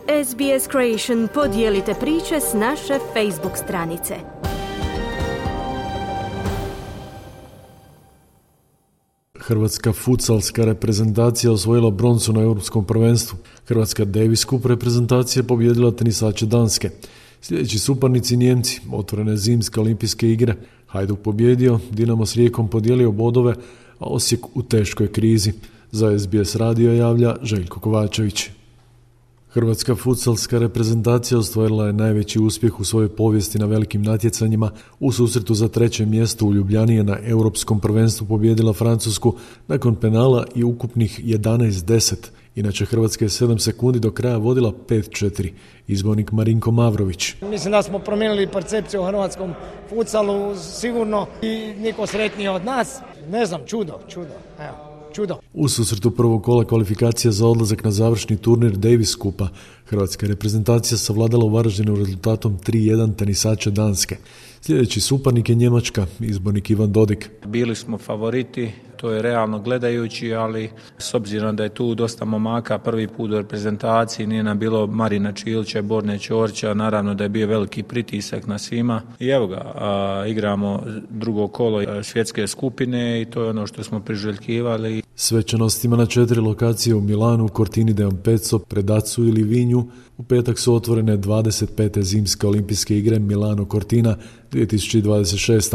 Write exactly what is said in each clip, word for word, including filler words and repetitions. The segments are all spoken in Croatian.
S B S Creation podijelite priče s naše Facebook stranice. Hrvatska futsalska reprezentacija osvojila broncu na europskom prvenstvu. Hrvatska Davis Cup reprezentacija pobjedila tenisače Danske. Sljedeći suparnici Nijemci, otvorene zimske olimpijske igre. Hajduk pobjedio, Dinamo s Rijekom podijelio bodove, a Osijek u teškoj krizi. Za S B S radio javlja Željko Kovačević. Hrvatska futsalska reprezentacija ostvarila je najveći uspjeh u svojoj povijesti na velikim natjecanjima. U susretu za treće mjesto u Ljubljani je na europskom prvenstvu pobijedila Francusku nakon penala i ukupnih jedanaest deset. Inače, Hrvatska je sedam sekundi do kraja vodila pet četiri. Izbornik Marinko Mavrović. Mislim da smo promijenili percepciju o hrvatskom futsalu sigurno i niko sretniji od nas. Ne znam, čudo, čudo, evo. Čudo. U susretu prvog kola kvalifikacija za odlazak na završni turnir Davis Cupa hrvatska reprezentacija savladala u Varaždinu rezultatom tri jedan tenisača Danske. Sljedeći suparnik je Njemačka, izbornik Ivan Dodik. Bili smo favoriti, to je realno gledajući, ali s obzirom da je tu dosta momaka prvi put u reprezentaciji, nije nam bilo Marina Čilića, Borne Ćorića, naravno da je bio veliki pritisak na svima. I evo ga, a, igramo drugo kolo svjetske skupine i to je ono što smo priželjkivali. Svečanostima na četiri lokacije u Milanu, Cortini d'Ampezzo, Predacu i Livinju u petak su otvorene dvadeset pete zimske olimpijske igre Milano Cortina dvije tisuće dvadeset šest.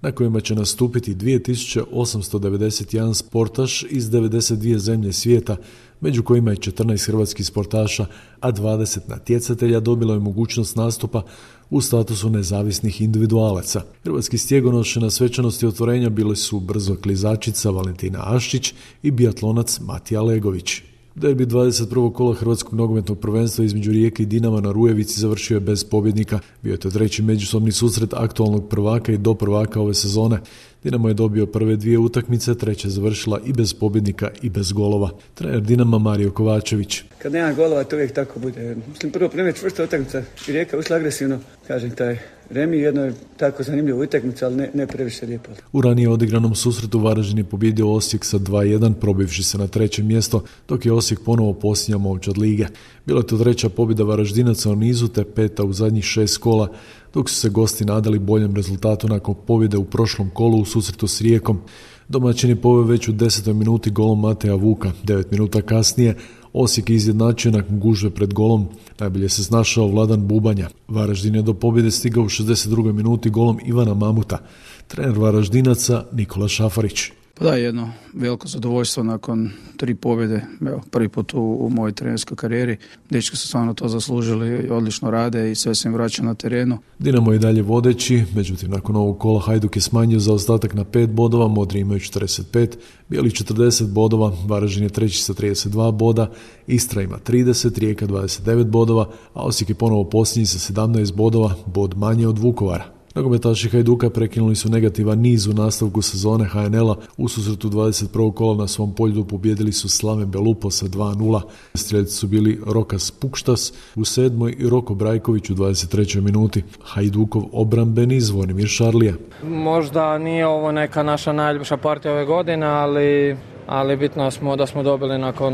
na kojima će nastupiti dvije tisuće osamsto devedeset jedan sportaš iz devedeset dvije zemlje svijeta, među kojima je četrnaest hrvatskih sportaša, a dvadeset natjecatelja dobilo je mogućnost nastupa u statusu nezavisnih individualaca. Hrvatski stjegonoše na svečanosti otvorenja bili su brzo klizačica Valentina Aščić i biatlonac Matija Legović. Derbi dvadeset prvog kola hrvatskog nogometnog prvenstva između Rijeke i Dinama na Rujevici završio je bez pobjednika. Bio je to treći međusobni susret aktualnog prvaka i do prvaka ove sezone. Dinamo je dobio prve dvije utakmice, treća završila i bez pobjednika i bez golova. Trener Dinama Mario Kovačević. Kad nema golova, to uvijek tako bude. Mislim, prvo primjer čvrsta utakmica i Rijeka ušla agresivno. Kažem, taj remi jedno je tako zanimljivo utakmica, ali ne, ne previše lijepo. U ranije odigranom susretu Varaždin je pobjedio Osijek sa dva jedan, probivši se na treće mjesto, dok je Osijek ponovo posljednja momčad lige. Bila je to treća pobjeda Varaždinaca u nizu, te peta u zadnjih šest kola, dok su se gosti nadali boljem rezultatu nakon pobjede u prošlom kolu u susretu s Rijekom. Domaćin je poveo već u desetoj minuti golom Mateja Vuka. Devet minuta kasnije Osijek je izjednačio nakon gužve pred golom. Najbolje se snašao Vladan Bubanja. Varaždin je do pobjede stigao u šezdeset drugoj minuti golom Ivana Mamuta. Trener Varaždinaca Nikola Šafarić. Pa da, jedno veliko zadovoljstvo nakon tri pobjede, evo, prvi put u, u mojoj trenerskoj karijeri. Dečki su stvarno to zaslužili, odlično rade i sve se im vraća na terenu. Dinamo je i dalje vodeći, međutim nakon ovog kola Hajduk je smanjio zaostatak na pet bodova, Modri imaju četrdeset pet, Bijeli četrdeset bodova, Varaždin je treći sa trideset dva boda, Istra ima trideset, Rijeka dvadeset devet bodova, a Osijek je ponovo posljednji sa sedamnaest bodova, bod manje od Vukovara. Nogometaši Hajduka prekinuli su negativan niz u nastavku sezone H N L-a. U susretu dvadeset prvog kola na svom polju pobijedili su Slaven Belupo sa dva nula. Strijelci su bili Rokas Pukštas u sedmoj i Roko Brajković u dvadeset trećoj minuti. Hajdukov obrambeni Zvonimir Šarlija. Možda nije ovo neka naša najljepša partija ove godine, ali, ali bitno smo da smo dobili nakon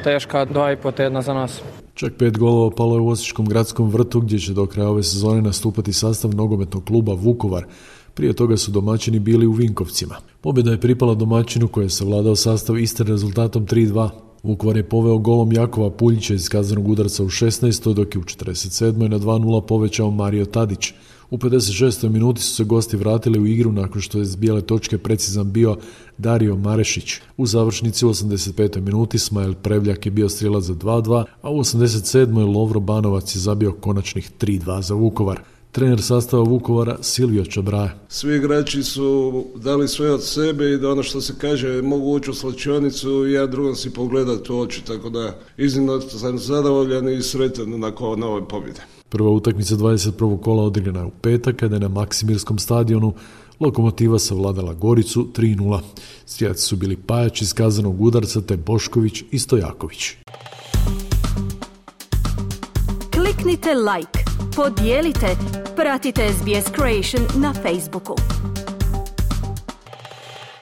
teška dva i po tjedna za nas. Čak pet golova palo je u Osječkom gradskom vrtu, gdje će do kraja ove sezone nastupati sastav nogometnog kluba Vukovar. Prije toga su domaćini bili u Vinkovcima. Pobjeda je pripala domaćinu koji je savladao sastav Istre rezultatom tri dva. Vukovar je poveo golom Jakova Puljića iz kaznenog udarca u šesnaestoj, dok je u četrdeset sedmoj na dva nula povećao Mario Tadić. U pedeset šestoj minuti su se gosti vratili u igru nakon što je s bijele točke precizan bio Dario Marešić. U završnici u osamdeset petoj minuti Smajl Prevljak je bio strijelac za dva dva, a u osamdeset sedmoj Lovro Banovac je zabio konačnih tri dva za Vukovar. Trener sastava Vukovara Silvio Čabraja. Svi igrači su dali sve od sebe i da ono što se kaže mogu ući u slačionicu i ja drugom si pogledati u oči, tako da iznimno sam zadovoljan i sretan nakon ove pobjede. Prva utakmica dvadeset prvog kola odigrana je u petak kada je na Maksimirskom stadionu Lokomotiva savladala Goricu tri nula. Strijelci su bili Pajač iz kaznenog udarca te Bošković i Stojaković. Kliknite like, podijelite, pratite S B S Creation na Facebooku.